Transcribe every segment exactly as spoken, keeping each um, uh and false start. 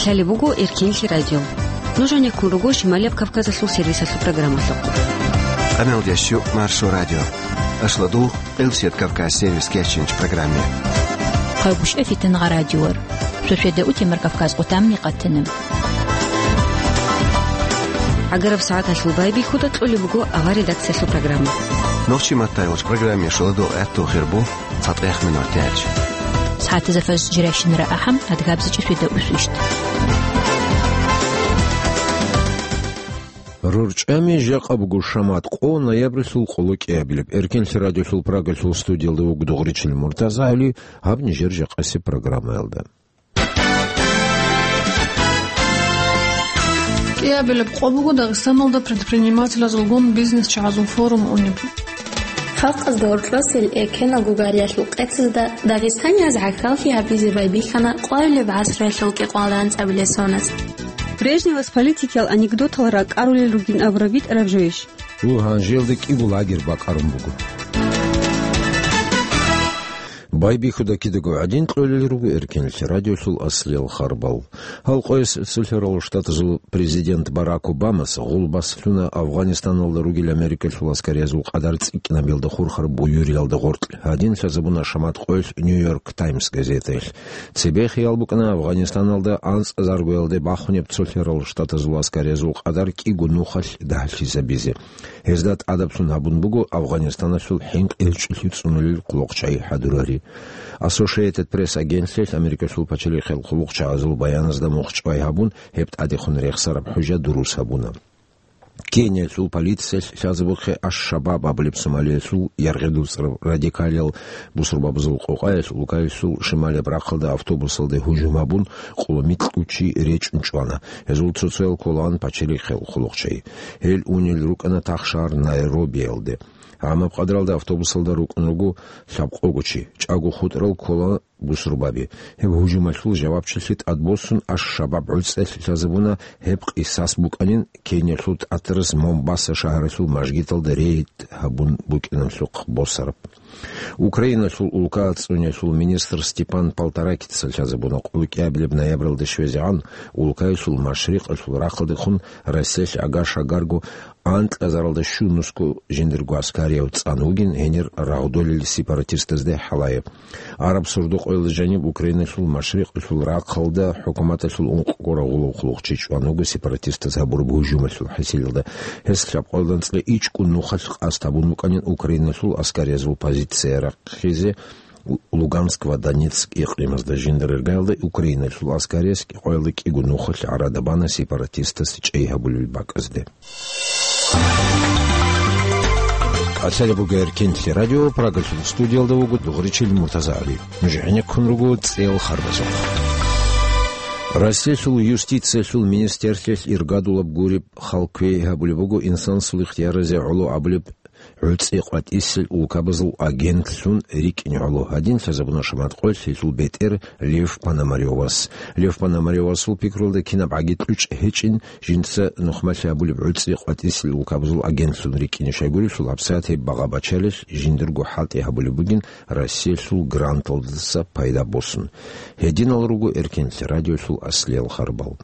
Лъалеб буго Эркенлъи радио. Нуж гьанеккун руго Шималияб Кавказалъул сервисалъул программалъухъ. Къамелдеш щу Маршо радио. Ашладу, Къилсият Кавказ сервис кечинч программе. Хъагушев Фитнагъа радиор. Шошеда утемар Кавказ къутамни къатана. ГӀагараб сагӀаталъул байбихьуда кьолеб буго авар редакциялъул программа. Нохчи маттайгъуч программе шоладо гӀатту хирбу. ЦатӀех минут тяч. СагӀатазда фаз жирайщинара ахӀам, адгабзичӀеб шведа усвищт. РорчӀами жакъа буго шамат къо ноябрилъул къоло кӀиабилеб. Эркенлъи радиолъул Прагалъул студиялда вуго Дугъричил МуртазагӀали, гьаб нижер жакъасеб программаялда. КӀиабилеб къо буго Дагъистаналда предпринимателазулгун бизнес-чагӀазул форум унеб. Халкъазда гьоркьосел эркенал гугариялъул къецазда дагъистанияз гӀахьаллъи гьабизе байбихьана къоабилеб гӀасруялъул кӀикъоялда анцӀабилеб соназ. Брежневас политикиял анекдотал ракӀарулел ругин абураб битӀараб жойищ? Гьанжелда кӀиго лагерь бакӀарун буго. Байбихьуда кидаго гӀадин кьолел руго Эркенлъи радиолъул аслиял харбал. Гьал къоялъ Цолъарал Штатазул президент Барак Обамас гъулбас лъуна Афгъанистаналда ругел Америкалъул аскариязул къадар цӀикӀкӀинабиялда хурхараб буюриялда гъоркь. Гьадин лъазабуна шамат къоялъ Нью-Йорк Таймс газетаялъ. Цебе хиял букӀана Афгъанистаналда анцӀазаргоялде бахунеб Цолъарал Штатазул аскариязул къадар кӀиго нухалъ дагьлъизабизе. Гьезда тӀадаблъун гьабун буго Афгъанистаналъул хӀинкъи гьечӀолъи цӀунулел хъулухъчагӀи хӀадурари. Associated Press агентлъиялъ Америкалъул пачалихъел хъулухъчагӀазул баяназда мухъчӀвай гьабун, гьеб тӀадехун рехсараб хӀужа дурус гьабуна. Кениялъул полициялъ лъазабухъе Аш-Шабаб абулеб Сомалиялъул яргъи дуцӀараб радикалиял бусурбабазул къокъаялъ улкаялъул шималияб рахъалда автобусалде гьужум гьабун, къоло микьго чи речӀун чӀвана. Гьезул цо-цоял кколаан пачалихъел хъулухъчагӀи. Гьел унел рукӀана тахшагьар Найробиялде. Гьаниб къадралда автобусалда рукӀун руго лъабкъого чи, чӀаго хутӀарал ккола бусурбаби. Гьеб гьужумалъул жавабчилъи тӀадбосун Аш-Шабаб гӀуцӀиялъ лъазабуна, гьеб къисас букӀанин Кениялъул тӀатарас Момбаса шагьаралъул мажгиталда рейд гьабун букӀиналъухъ босараб. Украиналъул улка ацӀцӀуниялъул министр Степан Полторакица лъазабуна къулкӀиабилеб ноябралда щвезегӀан улкаялъул машрикъалъул рахъалдехун Россиялъ агар-шагарго анкьазаралда щунусго жиндирго аскарияв цӀан вугин гьенир рагъдолел сепаратистазде хӀалае. Араб сордо-къоялда жаниб Украиналъул машрикъалъул рахъалда хӀукуматалъул ункъго рагъулав хъулухъчи чӀван вуго сепаратистаз гьабураб гьужумалъул хӀисилалда. Гьес лъабкъоялда анцӀила ичӀго нухалъ къасд гьабун букӀанин Украиналъул аскариязул позиция рахъизе Луганск ва Донецк икълимазда. Жинда рергаялда Украиналъул аскарияс кӀикъоялда кӀиго нухалъ гӀарада бана сепаратистас чӀей гьабулел бакӀазде. Лъалеб буго Эркенлъи радио, Прагалъул студиялда вуго Дугъричил МуртазагӀали. Нуж гӀенеккун руго цӀеял харбазухъ. Россиялъул юстициялъул министерствоялъ иргадулаб гуреб хал кквей гьабулеб буго инсанасул ихтияразе гӀоло абулеб гӀуцӀи къватӀисел улкабазул агентлъун рикӀкӀине гӀоло. Гьадин лъазабуна шамат къоялъ гьелъул бетӀер Лев Пономарёвас. Лев Пономарёвасул пикрулда кинаб гӀаги кьучӀ гьечӀин, жинца нухмалъи гьабулеб гӀуцӀи къватӀисел улкабазул агентлъун рикӀкӀине. Щайгурелъул гьабсагӀат гьеб багъа-бачалилъ жиндирго хӀалтӀи гьабулеб бугин Россиялъул гранталдаса пайда босун. Гьединал руго Эркенлъи радиолъул аслиял харбал.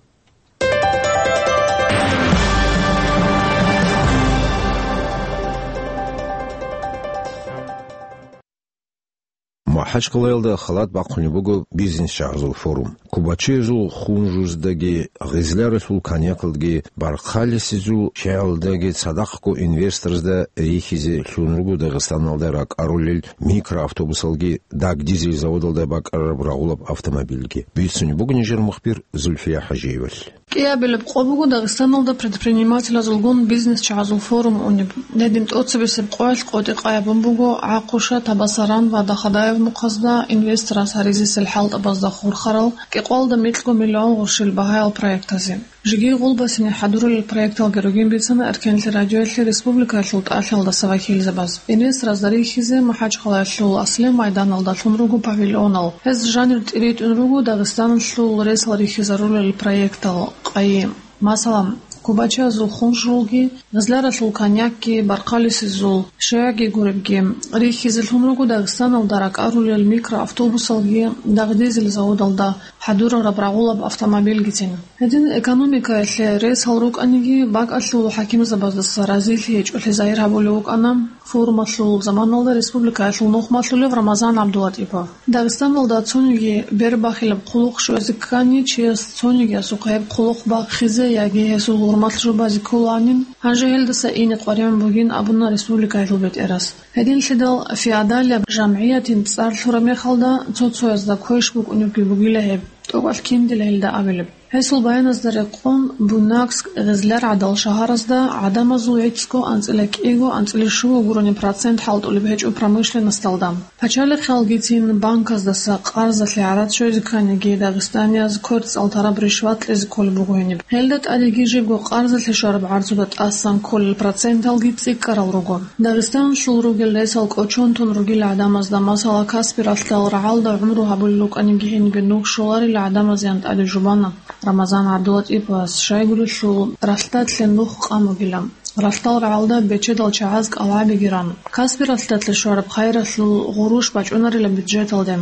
МахӀачкъалаялда халат бахъунеб буго бизнес-чагӀазул форум. Кубачиязул хунжуздаги, гъизларалъул коньякалдаги, бархъалисезул чагӀалдаги цадахъго инвесторзда рихьизе лъун руго Дагъистаналда ракӀарулел микроавтобусалги, дагдизель заводалда бакӀарараб рагъулаб автомобильги. Бицунеб буго нижер мухбир Зульфия ХӀажиевалъ. КӀиабилеб къо буго Дагъистаналда предпринимателазулгун бизнес-чагӀазул форум унеб. Гьедин тӀоцебесеб къоялъ къотӀи къайабун буго ГӀахъуша, Табасаран ва Дахадаев мухъазда инвестораз гьаризесел хӀалтӀабазда хурхарал кӀикъоялда микьго миллион гъурщил багьаял проектазе. Жеги гъулбасине хӀадурулел проекталги ругин бицана Эркенлъи радиоялъе республикаялъул тӀалъалдаса вакилзабаз. Инвесторазда рихьизе МахӀачкъалаялъул аслиял майданалда лъун руго павильонал. Гьез жанир тӀиритӀун руго Дагъистаналъул ресал рихьизарулел проектал къайи. Масала, Губачиязул хунжрулги, гъизларалъул коньякги, бархъалисезул шагьги гуребги рихьизе лъун руго Дагъистаналда ракӀарулел микроавтобусалги, дагъдизел заводалда хӀадурараб рагъулаб автомобильгицин. Гьедин экономикаялъе ресал рукӀаниги, бакӀалъул хӀакимзабаздаса разилъи гьечӀолъи загьир гьабулев вукӀана. Форумалъул заманалда республикаялъул нухмалъулев Рамазан ГӀабдулатӀипов. Дагъистаналда цониги бербахилаб хъулухъ щвезе ккани, чияс цонигиясухъ гьеб хъулухъ бахъизе яги гьесул гьурмалъ жубазе кколаанин, гьанже гьелдаса ине къваригӀун бугин абуна республикаялъул бетӀерас. Гьединлъидал феодалияб жамгӀиятин цӀар лъураб мехалда, цо-цоязда квеш букӀунебги бугила гьеб, тӀокӀалъ киндила гьелда абилеб. Гьесул баяназда рекъон, Буйнакск, Гъизляргьадал шагьаразда гӀадамазул гӀицӀго анцӀила кӀиго, анцӀила щуго гурони процент хӀалтӀулеб гьечӀо промышленносталда. Пачалихъалгицин банказдаса къарзалъе гӀарацӀ щвезе кканиги, дагъистанияз квер цӀалдгьараб ришват кьезе кколеб буго гьениб. Гьелда тӀадеги жибго къарзалъе щвараб гӀарцуда тӀасан кколел проценталги цӀикӀкӀарал руго. Дагъистаналъул ругел ресал кӀочон тун ругел гӀадамазда, масала, Каспи ралъдал рагӀалда гӀумру гьабулел рукӀаниги гьенибе нух щоларел гӀадамазеян тӀаде жубана. Рамазан ГӀабдулатӀиповас щайгурелъул ралъдалъе нух къан бугила. Ралъдал рагӀалда бечедал чагӀаз кӀалгӀабиги ран, Каспи ралъдалъе щвараб хайралъул гъурущ бачӀунарила бюджеталде.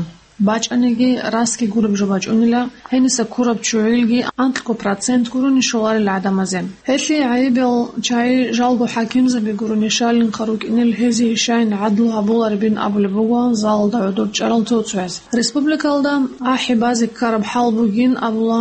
БачӀаниги, расги гуреб жо бачӀунила, гьениса ккураб ччугӀилги анкьго процент гурони щоларел гӀадамазе. Гьелъие гӀайибал чагӀи жалго хӀакимзаби гурони щалинха рукӀинел гьезие щайин гӀадлу гьабуларебин абулеб буго залалда гӀодор чӀарал цо-цояз. Республикалда ахӀи базе ккараб хӀал бугин абула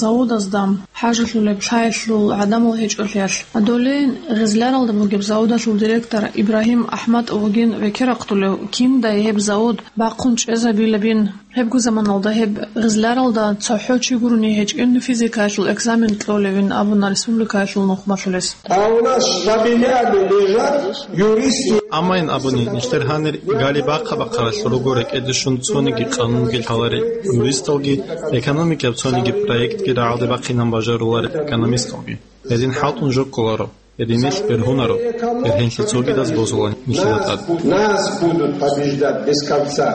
заводазда хӀажалъулеб лъаялъул гӀадамал гьечӀолъиялъ. Долейин Гъизляралда бугеб заводалъул директор Ибрагьим АхӀматов вугин векерахъулев, киндай гьеб завод бахъун чӀезабилебин. Гьебго заманалда гьеб Гъизляралда цохӀо чи гурони гьечӀин физикаялъул экзамен кьолевин абуна республикаялъул нухмалъулес. А у нас в Шабине лежат юристы. Амма ин абуни, нилъер гьанир гали бахъа-бахъаралъ руго рекӀеде щун цониги къанунги лъаларел юристалги, экономикияб цониги проектги рагӀалде бахъинан бажаруларел экономисталги. Гьедин хӀалтӀун жо кколаро, гьединилъ бергьунаро, бергьенлъи цогидаз бозула нилъеда тӀад. Нас будут побеждать без конца.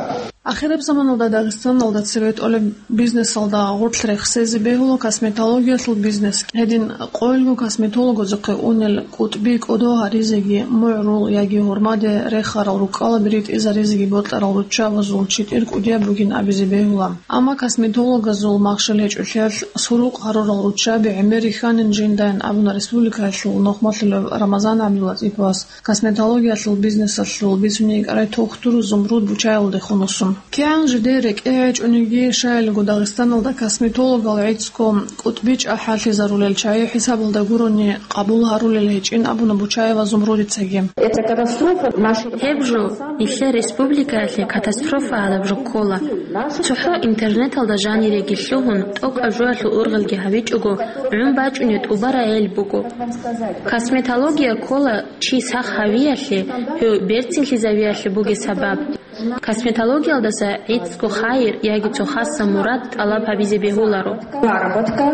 Ахираб заманалда Дагъистаналда цебетӀолеб бизнесалда гъорлъ рехсезе бегьула косметологиялъул бизнес. Гьедин къоялго косметологазухъе унел кӀутӀби кӀодо гьаризеги, мугӀрул яги гьурмаде рехарал рукӀкӀалаби ритӀизаризеги бокьарал руччабазул читӀир кӀудияб бугин абизе бегьула. Амма косметологазул махщел гьечӀолъиялъ сурукъ гьарурал руччаби гӀемер рихьанин жиндайин абуна республикаялъул нухмалъулев Рамазан ГӀабдулатӀиповас. Косметологиялъул бизнесалъул бицуней кӀарай тухтур Зумруд Бучаевалдехун вуссун. КигӀан жидер рекӀее гьечӀониги, щайилго Дагъистаналда косметологал гӀицӀго кӀутӀби чӀахӀаллъизарулел чагӀи хӀисабалда гурони къабул гьарулел гьечӀин абуна Бучаева Зумрудицаги. Это катастрофа нашей... Гьеб жо нилъер республикаялъе катастрофа гьабураб жо ккола. ЦохӀо интернеталда жаниреги лъугьун, тӀокӀаб жоялъул ургъелги гьабичӀого, гӀун бачӀунеб тӀубараб гӀел буго. Косметология ккола чи сах гьавиялъе, гьев берцинлъизавиялъе бугеб сабаб. Косметологиялдаса гӀицӀго хайир яги цо хасаб мурад тӀалаб гьабизе бегьуларо. Заработка,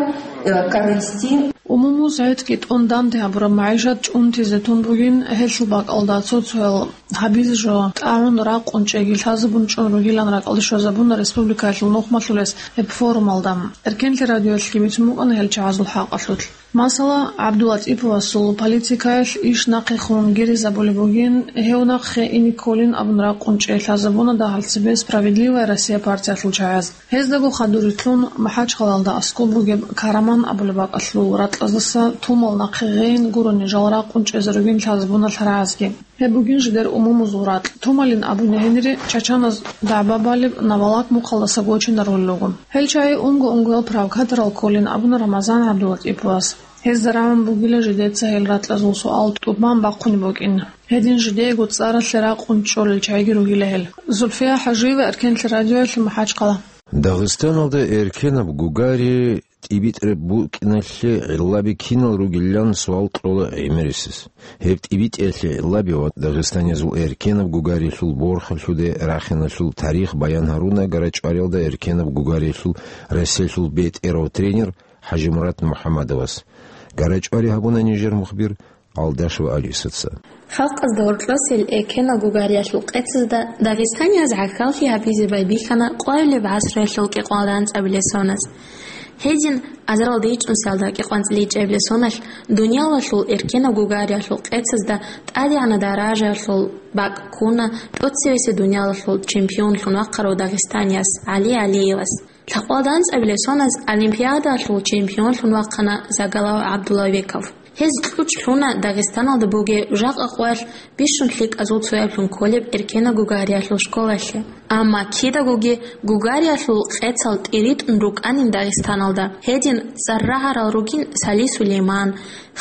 э, каренсти. Умумуз гӀицӀги тӀун данде гьабураб магӀишат чӀунтизе тун бугин, гьелъул бакӀалда цо-цоял гьабизе жо тӀагӀун ракъун чӀеги лъазабун чӀун ругилан ракӀалде щвезабуна республикаялъул нухмалъулес гьеб форумалда. Эркенлъи радиоялъги бицун букӀана гьел чагӀазул хӀакъалъулъ. Масала, ГӀабдулатӀиповасул политикаялъ иш нахъехун гиризабулеб бугин, гьев нахъе ине кколин абун ракъун чӀей лъазабуна дагьал цебе «Справедливая Россия» партиялъул чагӀаз. Гьездаго хадур рилълъун МахӀачхъалалда аскӀоб бугеб Караман абулеб бакӀалъул ракьаздаса тумал нахъе гъейин гурони жал ракъун чӀезе ругин лъазабуна лъарагӀазги. Гьеб бугин жидер умумузул ракь. Тумалин абуни гьенире, чачаназ дагӀба балеб Навалак мухъалдаса гочинарулел руго. Гьел чагӀи унго-унгоял провокаторал кколин абуна Рамазан ГӀабдулатӀиповас. Гьезда рагӀун бугила жидеца гьел ракьазул суал тӀубан бахъунеб букӀин. Гьедин жидеего цӀаралъе ракъун чӀолел чагӀиги ругила гьел. Зульфия ХӀажиева, Эркенлъи радиоялъ, МахӀачхъала. Дагъистаналда эркенаб гугари тӀибитӀраб букӀиналъе гӀиллаби кинал ругилан суал кьола гӀемерисез. Гьеб тӀибитӀиялъе гӀиллаби ва дагъистанизул эркенаб гугарилъул борхалъуде рахиналъул тарих баян гьаруна ГарачӀвариялда эркенаб гугарилъул Россиялъул бетӀерав тренер ХӀажимурад МухӀаммадовас. ГарачӀвари гьабуна нижер мухбир Алдашева Алисаца. Халкъазда гьоркьосел эркенал гугариялъул къецазда дагъистанияз гӀахьаллъи гьабизе байбихьана къвайилеб гӀасруялъул кӀикъоялда анцӀабилеб соназ. Гьедин, азаралда ичӀнусиялда кӀикъоялда анцӀила ичӀабилеб соналъ дуниялалъул эркенаб гугариялъул къецазда тӀадегӀанаб даражаялъул бакӀ ккуна тӀоцевесев дуниялалъул чемпионлъун вахъарав дагъистанияс ГӀали ГӀалиевас. Лъабкъоялда анцӀабилеб соналъ Олимпиадалъул чемпионлъун вахъана Загалав ГӀабдуллабеков. Гьез кьучӀ лъуна Дагъистаналда бугеб жакъа къоялъ бищун лъикӀазул цояблъун кколеб эркенаб гугариялъул школалъе. Амма кидагоги гугариялъул къецал тӀиритӀун рукӀанин Дагъистаналда, гьедин цӀар рагӀарал ругин Сали Сулейман,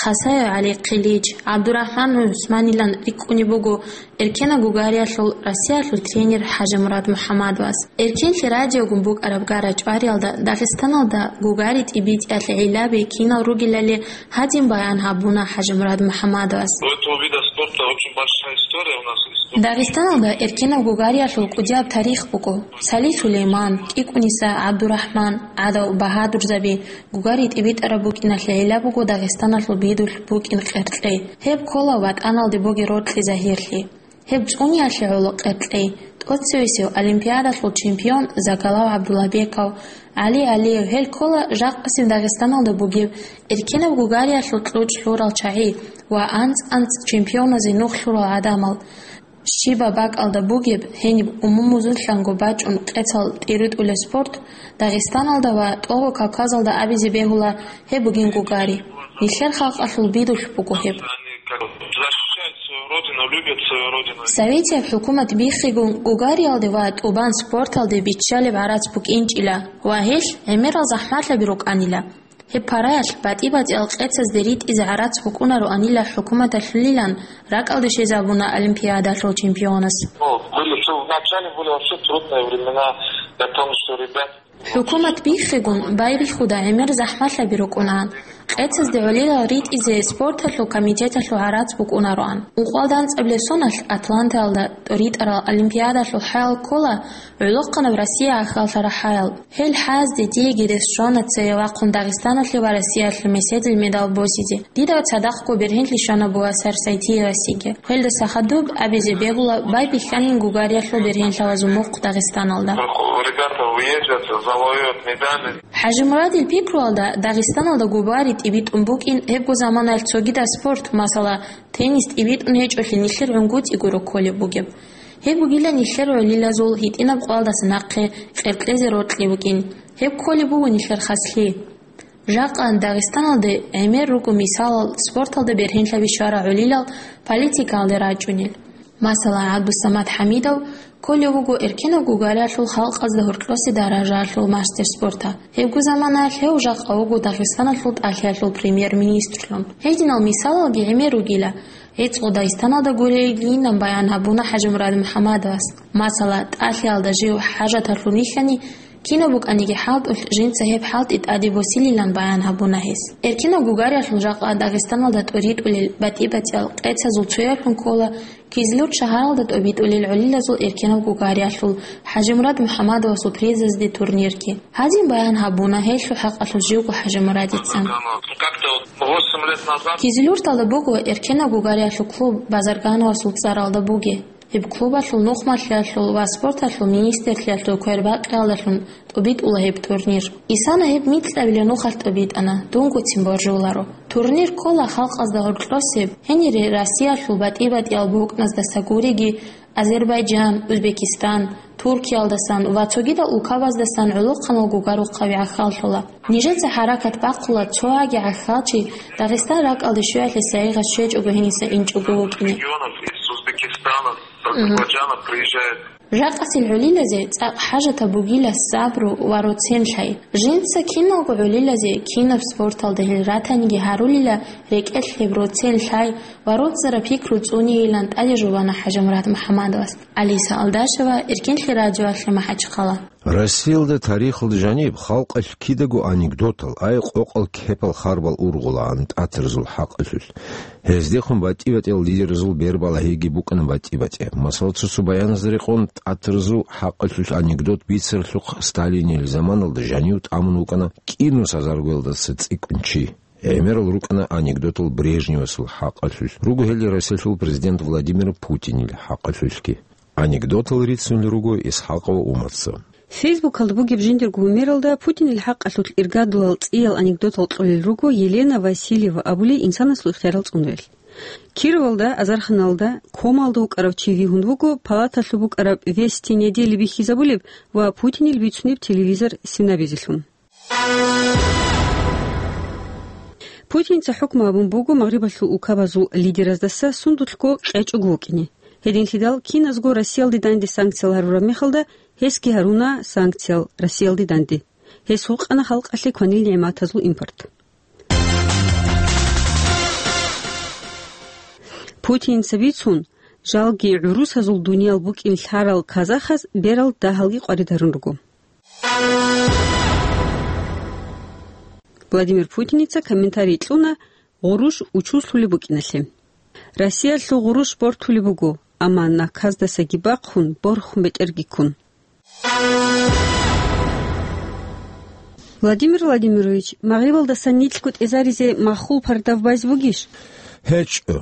Хасаев ГӀали Хъилич, ГӀабдурахӀман ГӀусманилан рикӀкӀунеб буго эркенаб гугариялъул Россиялъул тренер ХӀажимурад МухӀаммадовас. Эркенлъи радиогун букӀараб гара-чӀвариялда Дагъистаналда гугари тӀибитӀиялъе гӀиллаби кинал ругелали гьадин баян гьабуна ХӀажимурад МухӀаммадовас. У этого вида спорта очень большая история у нас в республике. Дагъистаналда эркенаб гугариялъул кӀудияб тарих буго. Сали Сулейман, КӀикӀуниса ГӀабдурахӀман, ГӀадав Багьадурзаби, гугари тӀибитӀараб букӀиналъе гӀилла буго Дагъистаналъул бидулъ букӀин къеркьей. Гьеб ккола ватӀаналде бугеб рокьи-загьирлъи. Гьеб цӀуниялъе гӀоло къеркьей тӀоцевесев Олимпиадалъул чемпион Загалав ГӀабдуллабеков, ГӀали ГӀалиев, гьел ккола жакъасеб Дагъистаналда бугеб эркенаб гугариялъул кьучӀ лъурал чагӀи ва анцӀ-анцӀ чемпионазе нух лъурал гӀадамал. Щибаб бакӀалда бугеб, гьениб умумузулъанго бачӀун къецал тӀиритӀулеб спорт Дагъистаналда ва ТӀогъо Кавказалда абизе бегьула гьеб бугин гугари. Нилъер халкъалъул бидулъ буго гьеб. Они как бы защищают свою родину, любят свою родину. Советияб хӀукумат биххигун гугариялде ва тӀубан спорталде биччалеб гӀарац букӀинчӀила ва гьелъ гӀемерал захӀмалъаби рукӀанила. Гьеб параялъ батӀи-батӀиял къецазде ритӀизе гӀарац букӀунароанила хӀукуматалъулилан ракӀалде щвезабуна Олимпиадалъул чемпионас. Ну, были, что вначале были вообще трудные времена, я помню, что ребята ХӀукумат биххигун байбихьуда гӀемер захӀмалъаби рукӀунаан. Къецазде гӀолилал ритӀизе спорталъул комитеталъул гӀарац букӀунароан. Ункъоялда анцӀабилеб соналъ Атлантаялда тӀоритӀарал Олимпиадалъул хӀаял ккола гӀолохъанаб Россия гӀахьаллъараб хӀаял. Гьел хӀаязде диеги рес щвана цее вахъун Дагъистаналъе ва Россиялъе меседил медал босизе. Дида цадахъго бергьенлъи щвана бугеб Сарсайтиевасеги. Гьелдаса хадуб абизе бегьула байбихьанин гугариялъул бергьенлъабазул мухъ Дагъистаналда. Ребята уезжают, завоюют медали. ХӀажимурадил пикруялда, Дагъистаналда гугари тӀибитӀун букӀин гьебго заманаялъ цогидаб спорт, масала, теннис тӀибитӀун гьечӀолъи нилъер гӀунгутӀи гуро кколеб бугеб. Гьеб бугила нилъер гӀолилазул гьитӀинаб къоялдаса нахъе къеркьезе рокьи букӀин. Гьеб кколеб буго нилъер хаслъи. Жакъа Дагъистаналде гӀемер руго мисалал спорталда бергьенлъаби щварал гӀолилал политикаялде рачӀунел. Масала, ГӀабдусамат ХӀамидов кколев вуго эркенаб гугариялъул халкъазда гьоркьосе даражаялъул мастер спорта. Гьебго заманаялъ гьев жакъа вуго Дагъистаналъул тӀалъиялъул премьер-министрлъун. Гьединал мисалалги гӀемер ругила. ГӀицӀго Дагъистаналда гурелгийинан баян гьабуна ХӀажимурад МухӀаммадовас. Масала, тӀалъиялда жив хӀажаталъун вихьани, кинаб букӀаниги хӀалтӀулъ, жинца гьеб хӀалтӀи тӀаде босилилан баян гьабуна гьес. Эркенаб гугариялъул жакъа Дагъистаналда тӀоритӀулел батӀи-батӀиял къецазул цояблъун ккола Кизлюрт шагьаралда тӀобитӀулел гӀолилазул эркенаб гугариялъул ХӀажимурад МухӀаммадовасул призазде турнирги. Гьадин баян гьабуна гьелъул хӀакъалъулъ живго ХӀажимурадица. Как-то восемь лет назад. Кизлюрталда буго эркенаб гугариялъул клуб Базаргановасул цӀаралда бугеб. Гьеб клубалъул нухмалъиялъул ва спорталъул министрлъиялъул квербакъиялдалъун тӀобитӀула гьеб турнир. Исана гьеб микьабилеб нухалъ тӀобитӀана, дунгоцин боржуларо. Турнир ккола халкъазда гьоркьосеб, гьенире Россиялъул батӀи-батӀиял бокӀназдаса гуриги, Азербайджан, Узбекистан, Туркиялдасан ва цогидал улкабаздасан гӀолохъанал гугарухъаби гӀахьаллъула. Нижеца хӀаракат бахъула цо гьаги гӀахьалчи Дагъистан ракӀалде щвеялъе сайигъат щвечӀого гьениса инчӀого вукӀине. Регионов из Узбекистана, Азербайджана приезжают. Жакъасел гӀолилазе цӀакъ хӀажатаб бугила сабру ва роцен лъай. Жинца киналго гӀолилазе кинаб спорталда гьел ратаниги гьарулила рекӀелъ гьеб роцен лъай ва роцӀараб пикру цӀунейилан тӀаде жубана ХӀажимурад МухӀаммадовас. Алиса Алдашева, Эркенлъи радиоялъе, МахӀачхъала. Россиялда тарихалда жаниб халкъалъ кидаго анекдотал, ай къокъал кепал харбал ургъулаан тӀатарзул хӀакъалъулъ. Гьездехун батӀи-батӀиял лидерзул бербалагьиги букӀана батӀи-батӀи. Масала, цо-цо баяназда рекъон, тӀатарзул хӀакъалъулъ анекдот бицаралъухъ Сталинил заманалда жанив тӀамун вукӀана кӀинус азаргоялдаса цӀикӀкӀун чи. ГӀемерал рукӀана анекдотал Брежневасул хӀакъалъулъ, руго гьел Россиялъул президент Владимир Путинил хӀакъалъулъги. Анекдотал рицунел руго Исхакъова Уматца. Фейсбукалда бугеб жиндирго гьумералда Путинил хӀакъалъулъ иргадулал цӀиял анекдотал кьолел руго Елена Васильева абулей инсанасул ихтиярал цӀунаялъ. Кировалда, Азарханалда, Комалда вукӀарав чи вигьун вуго палаталъуб букӀараб «Вести недели» бихьизабулеб ва Путинил бицунеб телевизор синабизелъун. Путинца хӀукму гьабун буго Магърибалъул улкабазул лидераздаса сундулъго къечӀого вукӀине. Гьединлъидал киназго Россиялде данде санкциял гьарураб мехалда, гьесги гьаруна санкциял Россиялде данде. Гьес гьукъана халкъалъе кванил нигӀматазул импорт. Путинца бицун, жалги гӀурусазул дуниял букӀин лъарал казахаз берал дагьалги къварид гьарун руго. Владимир Путиница комментарий кьуна гъурущ учузлъулеб букӀиналъе. Россиялъул гъурущ бортулеб буго, амма наказдасаги бахъун, борхун бетӀерги ккун. Владимир Владимирович, Магърибалдасан нилъго тӀезаризе маххул пардав байзе бугищ? ГьечӀо,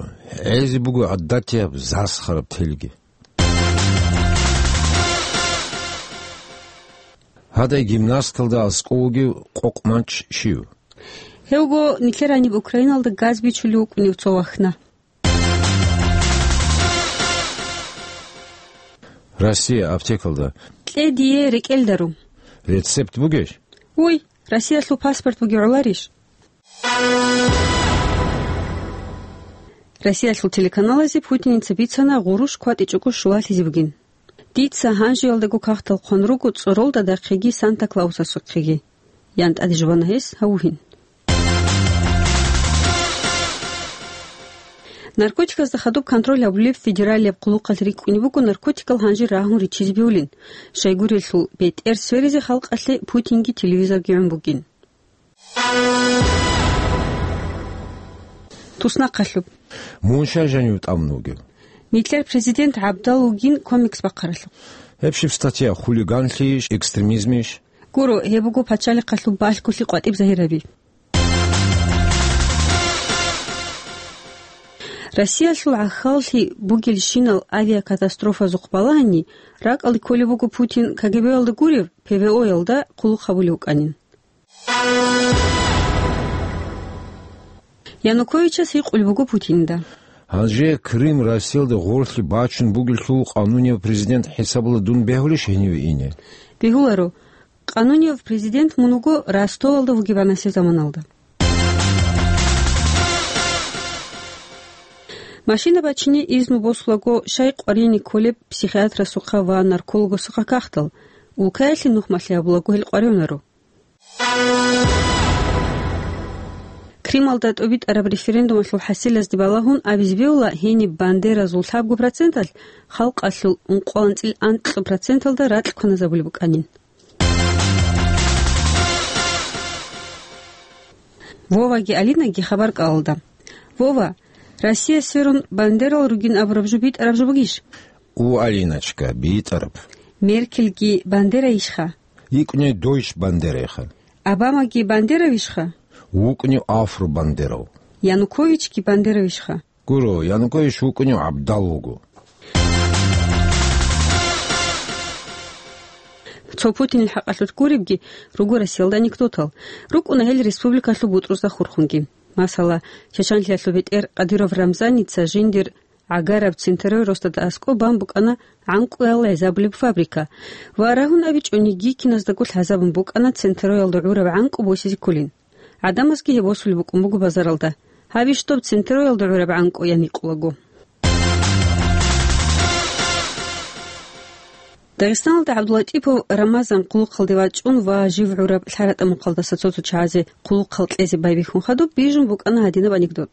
гӀезе буго гӀадатияб засхараб телги. Гьадай гимнасткалда аскӀов вугев къокъ манч щив? Гьевго нилъер гьаниб Украиналда газ бичулев вукӀунев цо вахна. Россия аптекалда. Кье дие рекӀелдаро. Рецепт бугеш? Уй, Россиялъул паспорт бугев гӀоларищ? Россиялъул телеканалазе Путиница бицана гъурущ кватӀичӀого щулалъизе бугин. Дица гьанжеялдаго кагътал хъван руго цӀоролда дахъеги Санта-Клаусасухъеги. Ян тӀаде жубана гьес гьавугьин. Наркотиказда хадуб контроль гьабулеб федералияб хъулухъалъ рикӀкӀунеб буго наркотикал гьанже рагьун риччизе бегьулин. Щайгурелъул бетӀер сверизе халкъалъе Путинги телевизорги гӀун бугин. Туснахъалъуб. Мун щай жанив тӀамун вугев? Нилъер президент гӀабдал вугин комикс бахъаралъухъ. Гьеб щиб статья, хулиганлъийищ, экстремизмийищ? Гуро, гьеб буго пачалихъалъул балъголъи къватӀиб загьираби. Россиялъул гӀахьаллъи бугелщинал авиакатастрофазухъ балагьани, ракӀалде кколеб буго Путин КГБ-ялда гурев, ПВО-ялда хъулухъ гьабулев вукӀанин. Януковичас гьикъулеб буго Путинда. Гьанже Крым Россиялда гъорлъе бачун бугелъул къанунияв президент хӀисабалда дун бегьулищ гьениве ине? Бегьуларо. Къанунияв президент мун вуго Ростовалда вугеб гьанасеб заманалда. Машина бачине изну босулаго, щай къваригӀине кколеб психиатрасухъа ва наркологасухъа кагътал, улкаялъе нухмалъи гьабулаго гьел къваригӀунаро. Крымалда тӀобитӀараб референдумалъул хӀасилазде балагьун абизе бегьула гьениб бандеразул лъабго проценталъ халкъалъул ункъоялда анцӀила анкьа проценталда ракь кваназабулеб букӀанин. Воваги Алинаги хабар кӀалалда. Вова, Россия сверун бандерал ругин абураб жо битӀараб жо бугищ? У, Алиночка, битӀараб. Меркельги бандерайищха? ВукӀунев дойч бандерайха. Обамаги бандеравищха? ВукӀунев афро-бандерав. Януковичги бандеравищха? Гуро, Янукович вукӀунев гӀабдал вуго. Цо Путинил хӀакъалъулъ гуребги руго Россиялда анекдотал. РукӀуна гьел республикалъул бутӀрузда хурхунги. Масала, чачанлъиялъул бетӀер Кадыров Рамзаница жиндир гӀагараб Центройлъ росдада аскӀоб бан букӀана гӀанкӀуял гӀезабулеб фабрика. Ва рагьун абичӀониги, киназдаго лъазабун букӀана Центройлда гӀураб гӀанкӀу босизе кколин. ГӀадамазги гьеб босулеб букӀун буго базаралда. Гьабищ доб Центройлда гӀураб гӀанкӀу ян гьикъулаго. Дагъистаналда ГӀабдуллатӀипов Рамазан хъулухъалде вачӀун ва жив гӀураб лъаратӀа мухъалдаса цо-цо чагӀазе хъулухъал кьезе байбихьун хадуб бижун букӀана гьадинаб анекдот.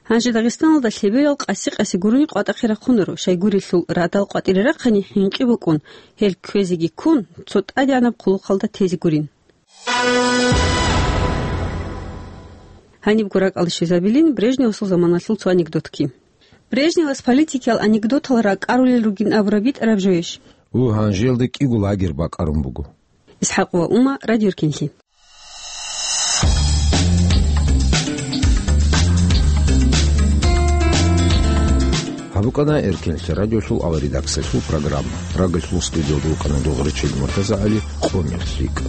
Гьанже Дагъистаналда лъеберал къаси-къаси гурони къватӀахъе рахъунаро, щайгурелъул радал къватӀире рахъани хӀинкъи букӀун, гьел кквезеги ккун, цо тӀадегӀанаб хъулухъалда тезе гурин. Гьанибго ракӀалде щвезабилин Брежневасул заманалъул цо анекдотги. Брежневас политикиял анекдотал ракӀарулел ругин абураб битӀараб жоящ? У, гьанжелда кӀиго лагерь бакӀарун буго. Исхьакъ ва Ума, Радио Иркинлъи. БукӀана Эркенлъи радиолъул аваридаксалъул программа. Рагъалъул студиялда вукӀана дугъричил МуртазагӀали, къо-, мехлъикӀ.